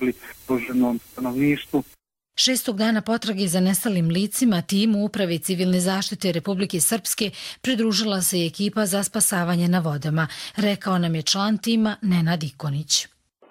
pomogli ugroženom stanovništvu. 6. dana potrage za nestalim licima timu Uprave civilne zaštite Republike Srpske pridružila se i ekipa za spasavanje na vodama, rekao nam je član tima Nenad Ikonić.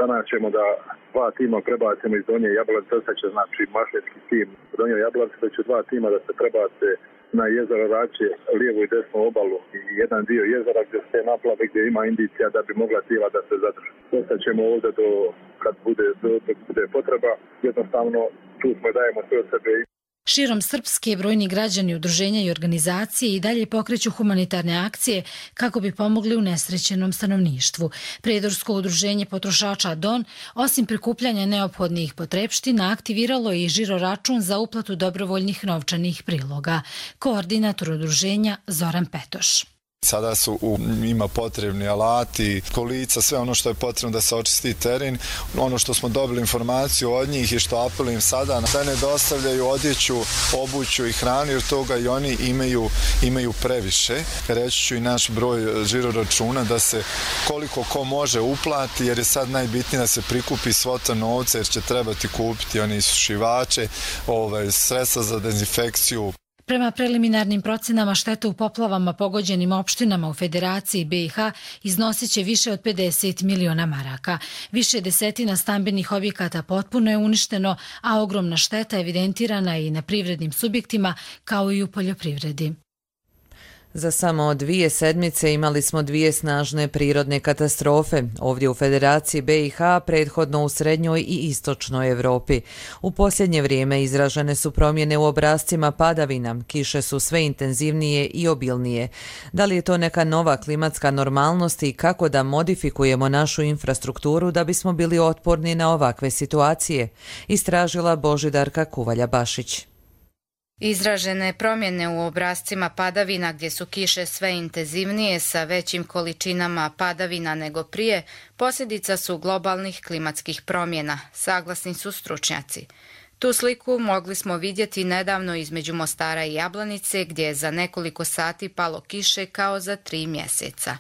Danas ćemo da 2 tima prebacimo iz Donje Jablanice, ostaće znači mašinski tim Donje Jablanice, da će 2 tima da se prebace na jezero Rače, lijevu i desnu obalu i jedan dio jezera gdje se naplave, gdje ima indicija da bi mogla tijela da se zadrži. Ostaćemo ovdje kad bude potreba, jednostavno tu smo, dajemo sve od sebe. Širom Srpske brojni građani, udruženja i organizacije i dalje pokreću humanitarne akcije kako bi pomogli unesrećenom stanovništvu. Prijedorsko udruženje potrošača Don, osim prikupljanja neophodnih potrepština, aktiviralo je i žiro račun za uplatu dobrovoljnih novčanih priloga. Koordinator udruženja Zoran Petoš. Sada ima potrebni alati, kolica, sve ono što je potrebno da se očisti teren. Ono što smo dobili informaciju od njih i što apelujem sada, da ne dostavljaju odjeću, obuću i hranu, jer toga i oni imaju previše. Reći ću i naš broj žiro računa da se koliko ko može uplati, jer je sad najbitnije da se prikupi svota novca, jer će trebati kupiti oni isušivače, sredstva za dezinfekciju. Prema preliminarnim procenama štete u poplavama pogođenim opštinama u Federaciji BiH iznosit će više od 50 miliona maraka. Više desetina stambenih objekata potpuno je uništeno, a ogromna šteta evidentirana i na privrednim subjektima kao i u poljoprivredi. Za samo 2 sedmice imali smo 2 snažne prirodne katastrofe, ovdje u Federaciji BiH, prethodno u srednjoj i istočnoj Evropi. U posljednje vrijeme izražene su promjene u obrascima padavina, kiše su sve intenzivnije i obilnije. Da li je to neka nova klimatska normalnost i kako da modifikujemo našu infrastrukturu da bismo bili otporni na ovakve situacije? Istražila Božidarka Kuvalja-Bašić. Izražene promjene u obrascima padavina gdje su kiše sve intenzivnije sa većim količinama padavina nego prije, posljedica su globalnih klimatskih promjena, saglasni su stručnjaci. Tu sliku mogli smo vidjeti nedavno između Mostara i Jablanice gdje je za nekoliko sati palo kiše kao za 3 mjeseca.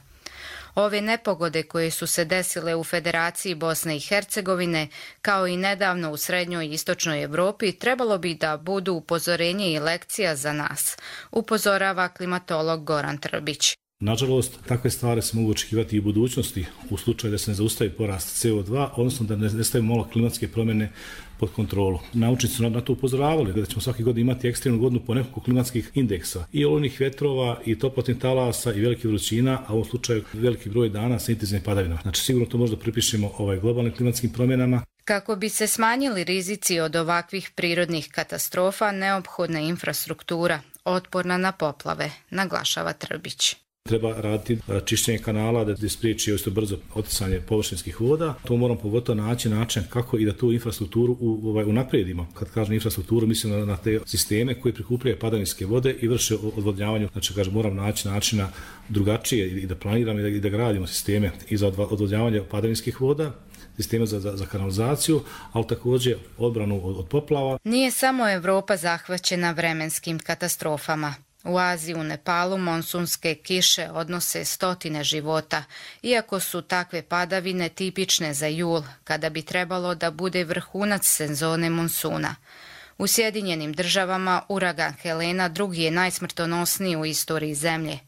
Ove nepogode koje su se desile u Federaciji Bosne i Hercegovine, kao i nedavno u srednjoj i istočnoj Evropi, trebalo bi da budu upozorenje i lekcija za nas, upozorava klimatolog Goran Trbić. Nažalost, takve stvari se mogu očekivati i u budućnosti u slučaju da se ne zaustavi porast CO2, odnosno da ne stavimo malo klimatske promjene pod kontrolu. Naučnici su na to upozoravali da ćemo svake godine imati ekstremnu godinu po nekoliko klimatskih indeksa i olujnih vjetrova i toplotnih talasa i velikih vrućina, a u ovom slučaju veliki broj dana sa intenzivnim padavinama. Znači sigurno to možda pripišemo globalnim klimatskim promjenama. Kako bi se smanjili rizici od ovakvih prirodnih katastrofa, neophodna je infrastruktura, otporna na poplave, naglašava Trbić. Treba raditi čišćenje kanala da spriječi isto brzo oticanje površinskih voda. To moramo pogotovo naći način kako i da tu infrastrukturu unaprijedimo. Kad kažem infrastrukturu, mislim na te sisteme koji prikupljaju padavinske vode i vrše odvodnjavanje. Znači, moramo naći načina drugačije i da planiramo i da gradimo sisteme i za odvodnjavanje padavinskih voda, sisteme za kanalizaciju, ali također odbranu od poplava. Nije samo Evropa zahvaćena vremenskim katastrofama. U Aziji, u Nepalu, monsunske kiše odnose stotine života, iako su takve padavine tipične za jul, kada bi trebalo da bude vrhunac sezone monsuna. U Sjedinjenim Državama uragan Helena drugi je najsmrtonosniji u istoriji zemlje.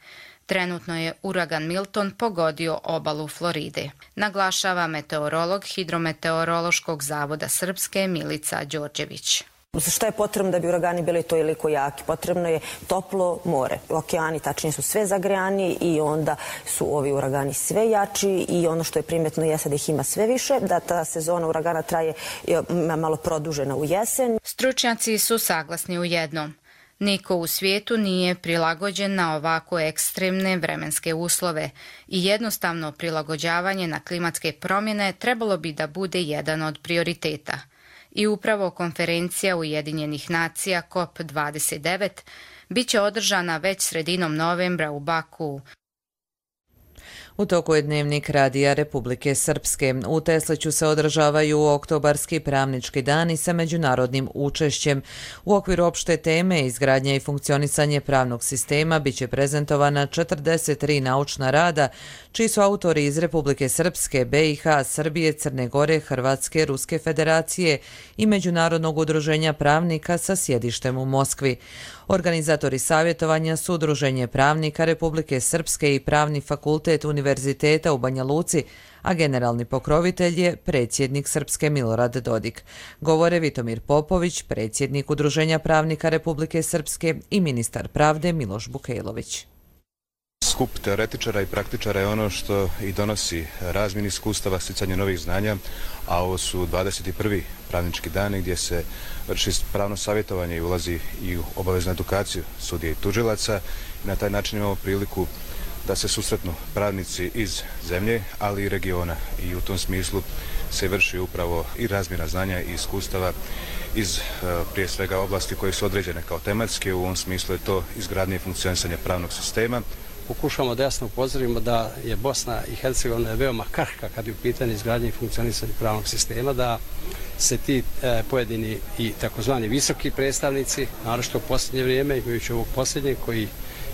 Trenutno je uragan Milton pogodio obalu Floride, naglašava meteorolog Hidrometeorološkog zavoda Srpske Milica Đorđević. Šta je potrebno da bi uragani bili toliko jaki? Potrebno je toplo more. Okeani tačnije su sve zagrejani i onda su ovi uragani sve jači i ono što je primjetno jeste da ih ima sve više, da ta sezona uragana traje malo produžena u jesen. Stručnjaci su saglasni u jednom. Niko u svijetu nije prilagođen na ovako ekstremne vremenske uslove i jednostavno prilagođavanje na klimatske promjene trebalo bi da bude jedan od prioriteta. I upravo konferencija Ujedinjenih nacija COP29 bit će održana već sredinom novembra u Bakuu. U toku je dnevnik Radija Republike Srpske. U Tesliću se održavaju oktobarski pravnički dani sa međunarodnim učešćem. U okviru opšte teme izgradnja i funkcionisanje pravnog sistema biće prezentovana 43 naučna rada, čiji su autori iz Republike Srpske, BiH, Srbije, Crne Gore, Hrvatske, Ruske federacije i Međunarodnog udruženja pravnika sa sjedištem u Moskvi. Organizatori savjetovanja su Udruženje pravnika Republike Srpske i Pravni fakultet Univerziteta u Banja Luci, a generalni pokrovitelj je predsjednik Srpske Milorad Dodik. Govore Vitomir Popović, predsjednik Udruženja pravnika Republike Srpske i ministar pravde Miloš Bukejlović. Skup teoretičara i praktičara je ono što i donosi razmjenu iskustava, sticanje novih znanja, a ovo su 21. pravnički dani gdje se vrši pravno savjetovanje i ulazi i u obaveznu edukaciju sudija i tužilaca. I na taj način imamo priliku da se susretnu pravnici iz zemlje, ali i regiona. I u tom smislu se vrši upravo i razmjena znanja i iskustava iz prije svega oblasti koje su određene kao tematske. U ovom smislu je to izgradnje i funkcionisanje pravnog sistema. Pokušamo da jasno upozorimo da je Bosna i Hercegovina veoma krhka kad je u pitanju izgradnje i funkcionisanje pravnog sistema, da se ti pojedini i takozvani visoki predstavnici, naročito u posljednje vrijeme, imajući ovog posljednjeg koji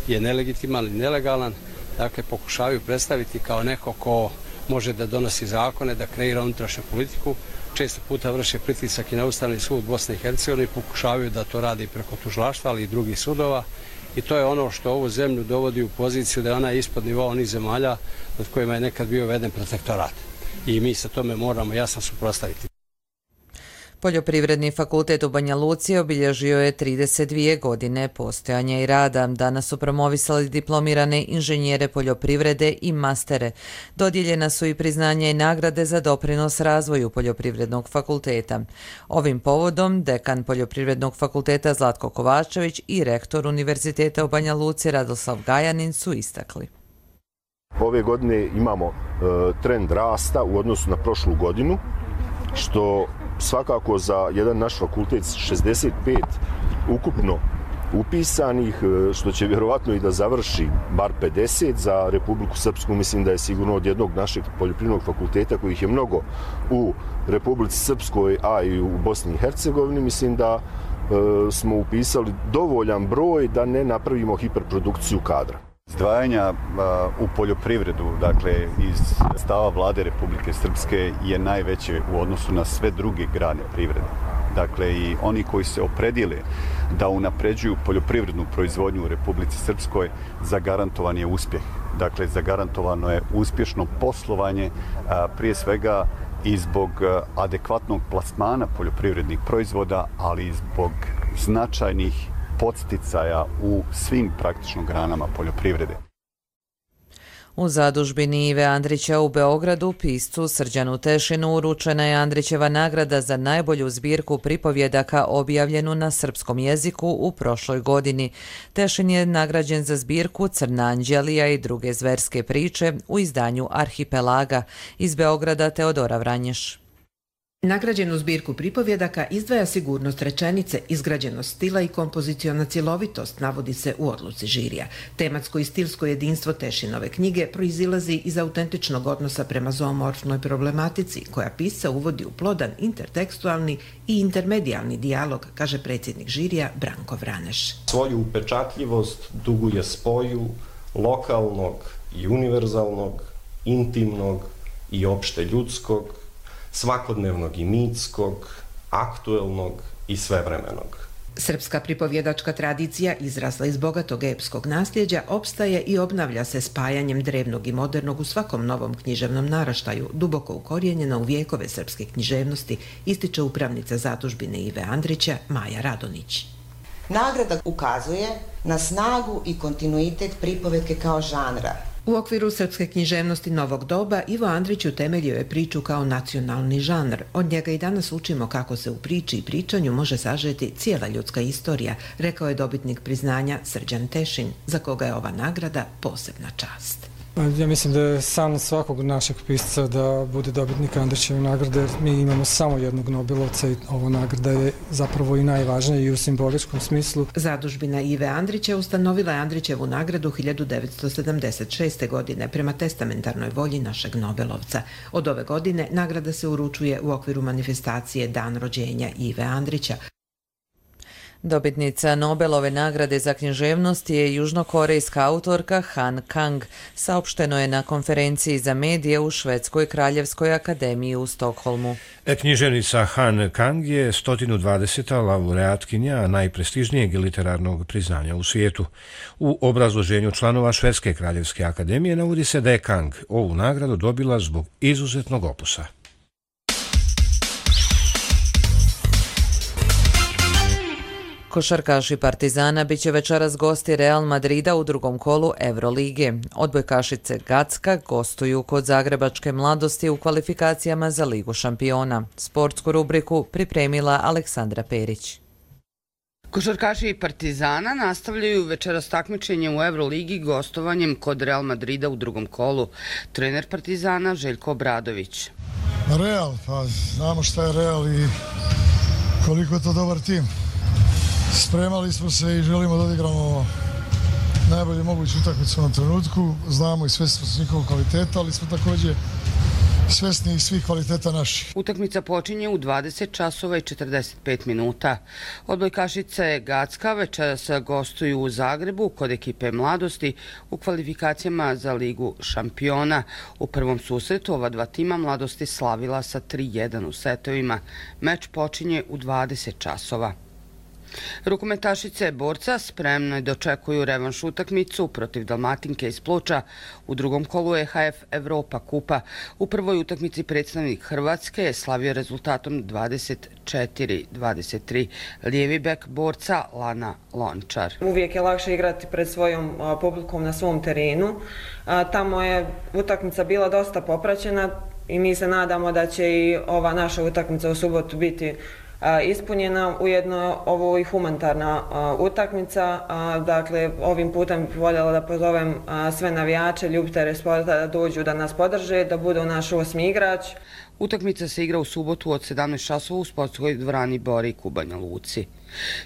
je nelegitiman i nelegalan, dakle pokušavaju predstaviti kao neko ko može da donosi zakone, da kreira unutrašnju politiku, često puta vrše pritisak i na Ustavni sud Bosne i Hercegovine, pokušavaju da to radi preko tužilaštva, ali i drugih sudova. I to je ono što ovu zemlju dovodi u poziciju da je ona ispod nivoa onih zemalja nad kojima je nekad bio uveden protektorat. I mi se tome moramo jasno suprotstaviti. Poljoprivredni fakultet u Banja Luci obilježio je 32 godine postojanja i rada. Danas su promovisali diplomirane inženjere poljoprivrede i mastere. Dodijeljena su i priznanja i nagrade za doprinos razvoju poljoprivrednog fakulteta. Ovim povodom dekan Poljoprivrednog fakulteta Zlatko Kovačević i rektor Univerziteta u Banja Luci Radoslav Gajanin su istakli. Ove godine imamo trend rasta u odnosu na prošlu godinu, što svakako za jedan naš fakultet 65 ukupno upisanih, što će vjerovatno i da završi bar 50 za Republiku Srpsku, mislim da je sigurno od jednog našeg poljoprivrednog fakulteta kojih je mnogo u Republici Srpskoj, a i u Bosni i Hercegovini, mislim da smo upisali dovoljan broj da ne napravimo hiperprodukciju kadra. Izdvajanja u poljoprivredu, dakle iz stava vlade Republike Srpske je najveće u odnosu na sve druge grane privrede. Dakle i oni koji se opredijele da unapređuju poljoprivrednu proizvodnju u Republici Srpskoj, zagarantovan je uspjeh. Dakle, zagarantovano je uspješno poslovanje, prije svega i zbog adekvatnog plasmana poljoprivrednih proizvoda, ali i zbog značajnih podsticaja u svim praktično granama poljoprivrede. U zadužbini Ive Andrića u Beogradu piscu Srđanu Tešinu uručena je Andrićeva nagrada za najbolju zbirku pripovjedaka objavljenu na srpskom jeziku u prošloj godini. Tešin je nagrađen za zbirku Crna anđelija i druge zverske priče u izdanju Arhipelaga. Iz Beograda Teodora Vranješ. Nagrađenu zbirku pripovjedaka izdvaja sigurnost rečenice, izgrađenost stila i kompoziciona cjelovitost, navodi se u odluci žirija. Tematsko i stilsko jedinstvo Tešinove knjige proizilazi iz autentičnog odnosa prema zoomorfnoj problematici, koja pisca uvodi u plodan intertekstualni i intermedijalni dijalog, kaže predsjednik žirija Branko Vraneš. Svoju upečatljivost duguje spoju lokalnog i univerzalnog, intimnog i opšte ljudskog, svakodnevnog i mitskog, aktuelnog i svevremenog. Srpska pripovjedačka tradicija, izrasla iz bogatog epskog nasljeđa, opstaje i obnavlja se spajanjem drevnog i modernog u svakom novom književnom naraštaju, duboko ukorijenjena u vijekove srpske književnosti, ističe upravnica zadužbine Ive Andrića Maja Radonić. Nagrada ukazuje na snagu i kontinuitet pripovetke kao žanra. U okviru srpske književnosti novog doba Ivo Andrić utemeljio je priču kao nacionalni žanr. Od njega i danas učimo kako se u priči i pričanju može sažeti cijela ljudska istorija, rekao je dobitnik priznanja Srđan Tešin, za koga je ova nagrada posebna čast. Ja mislim da je san svakog našeg pisca da bude dobitnik Andrićeve nagrade, jer mi imamo samo jednog Nobelovca i ova nagrada je zapravo i najvažnija i u simboličkom smislu. Zadužbina Ive Andrića ustanovila je Andrićevu nagradu 1976. godine prema testamentarnoj volji našeg Nobelovca. Od ove godine nagrada se uručuje u okviru manifestacije Dan rođenja Ive Andrića. Dobitnica Nobelove nagrade za književnost je južnokorejska autorka Han Kang, saopšteno je na konferenciji za medije u Švedskoj kraljevskoj akademiji u Stokholmu. Književnica Han Kang je 120. laureatkinja najprestižnijeg literarnog priznanja u svijetu. U obrazloženju članova Švedske kraljevske akademije navodi se da je Kang ovu nagradu dobila zbog izuzetnog opusa. Košarkaši Partizana bit će večeras gosti Real Madrida u drugom kolu Eurolige. Odbojkašice Gacka gostuju kod Zagrebačke Mladosti u kvalifikacijama za Ligu šampiona. Sportsku rubriku pripremila Aleksandra Perić. Košarkaši Partizana nastavljaju večeras takmičenje u Euroligi gostovanjem kod Real Madrida u drugom kolu. Trener Partizana Željko Obradović. Real, pa znamo šta je Real i koliko je to dobar tim. Spremali smo se i želimo da odigramo najbolje moguću utakmicu na trenutku. Znamo i svesni smo njihovog kvaliteta, ali smo također svesni i svih kvaliteta naših. Utakmica počinje u 20 časova i 45 minuta. Odbojkašice Gacka večeras gostuju u Zagrebu kod ekipe Mladosti u kvalifikacijama za Ligu šampiona. U prvom susretu ova dva tima Mladosti slavila sa 3-1 u setovima. Meč počinje u 20 časova. Rukometašice Borca spremno dočekuju revanš utakmicu protiv Dalmatinke iz Ploča u drugom kolu EHF Evropa kupa. U prvoj utakmici predstavnik Hrvatske je slavio rezultatom 24-23. Lijevi bek Borca Lana Lončar. Uvijek je lakše igrati pred svojom publikom na svom terenu. Tamo je utakmica bila dosta popraćena i mi se nadamo da će i ova naša utakmica u subotu biti ispunjena. Ujedno ovo i humanitarna utakmica. Dakle, ovim putem bih voljela da pozovem sve navijače, ljubitelje sporta da dođu da nas podrže, da budu naš osmi igrač. Utakmica se igra u subotu od 17 časova u sportskoj dvorani Borik u Banja Luci.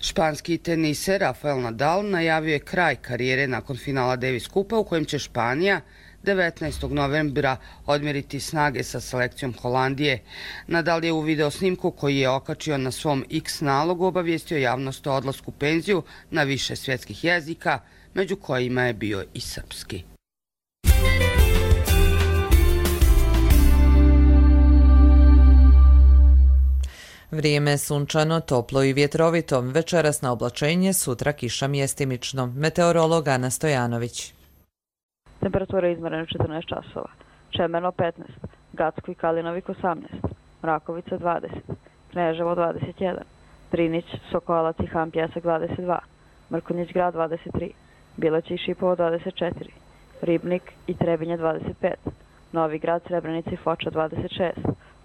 Španski teniser Rafael Nadal najavio je kraj karijere nakon finala Davis Kupa u kojem će Španija 19. novembra odmjeriti snage sa selekcijom Holandije. Nadal je u video snimku koji je okačio na svom X nalogu obavijestio javnost o odlasku u penziju na više svjetskih jezika, među kojima je bio i srpski. Vrijeme je sunčano, toplo i vjetrovito. Večeras na oblačenje, sutra kiša mjestimično. Meteorolog Ana Stojanović. Temperatura je izmjerena 14 časova. Čemerno 15, Gacko i Kalinovik 18, Mrakovica 20, Kneževo 21, Drinić, Sokolac i Han Pjesak 22, Mrkonjić grad 23, Bileć i Šipovo 24, Ribnik i Trebinje 25, Novi grad, Srebrenica i Foča 26,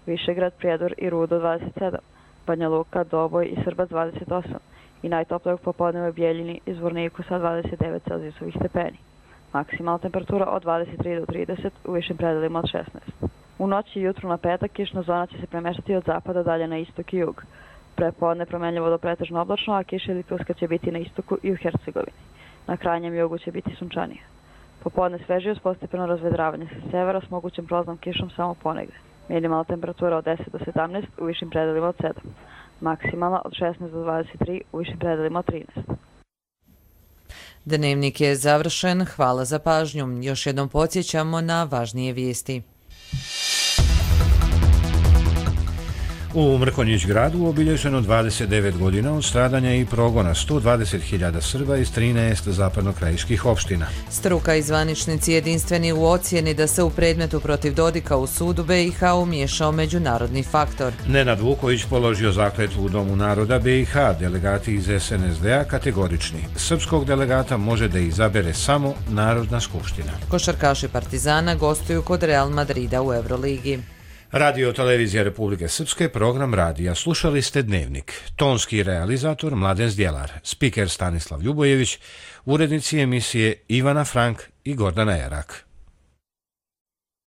Višegrad, Prijedor i Rudo 27, Banja Luka, Doboj i Srbac 28 i najtoplijeg popodneva Bijeljini i Zvorniku sa 29 celzijusovih stepeni. Maksimalna temperatura od 23 do 30, u višim predelima od 16. U noći i jutru na petak kišna zona će se premještati od zapada dalje na istok i jug. Prepodne promenljivo do pretežno oblačno, a kiša ili pljuska će biti na istoku i u Hercegovini. Na krajnjem jugu će biti sunčanije. Popodne svežije uz postepeno razvedravanje sa severa s mogućim prolaznom kišom samo ponegde. Minimalna temperatura od 10 do 17, u višim predelima od 7. Maksimalna od 16 do 23, u višim predelima od 13. Dnevnik je završen, hvala za pažnju. Još jednom podsjećamo na važnije vijesti. U Mrkonjić gradu obilježeno 29 godina od stradanja i progona 120.000 Srba iz 13 zapadnokrajiških opština. Struka i zvaničnici jedinstveni u ocjeni da se u predmetu protiv Dodika u sudu BiH umiješao međunarodni faktor. Nenad Vuković položio zakletvu u Domu naroda BiH, delegati iz SNSD-a kategorični. Srpskog delegata može da izabere samo Narodna skupština. Košarkaši Partizana gostuju kod Real Madrida u Euroligi. Radio Televizija Republike Srpske, program radija. Slušali ste Dnevnik. Tonski realizator Mladen Zdjelar, spiker Stanislav Ljubojević, urednici emisije Ivana Frank i Gordana Jerak.